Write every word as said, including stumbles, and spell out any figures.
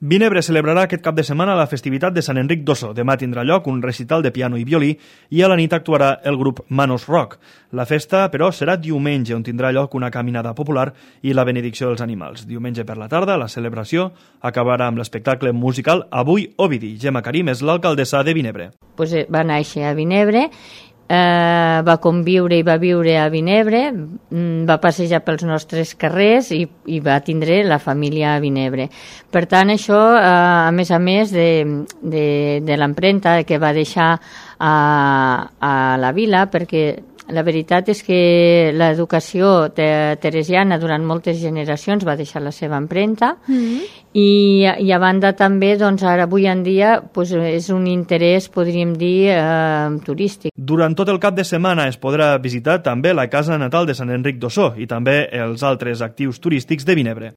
Vinebre celebrarà aquest cap de setmana la festivitat de Sant Enric d'Osso. Demà tindrà lloc un recital de piano i violí i a la nit actuarà el grup Manos Rock. La festa, però, serà diumenge, on tindrà lloc una caminada popular i la benedicció dels animals. Diumenge per la tarda, la celebració acabarà amb l'espectacle musical Avui Ovidi. Gemma Karim és l'alcaldessa de Vinebre. Pues va néixer a Vinebre, Eh, va conviure i va viure a Vinebre, va passejar pels nostres carrers i, i va tindre la família a Vinebre. Per tant, això, eh, a més a més de, de, de l'empremta que va deixar a, a la vila, perquè la veritat és que l'educació teresiana durant moltes generacions va deixar la seva empremta mm-hmm. i, i a banda també, doncs ara avui en dia pues, és un interès, podríem dir, eh, turístic. Durant tot el cap de setmana es podrà visitar també la casa natal de Sant Enric d'Osso i també els altres actius turístics de Vinebre.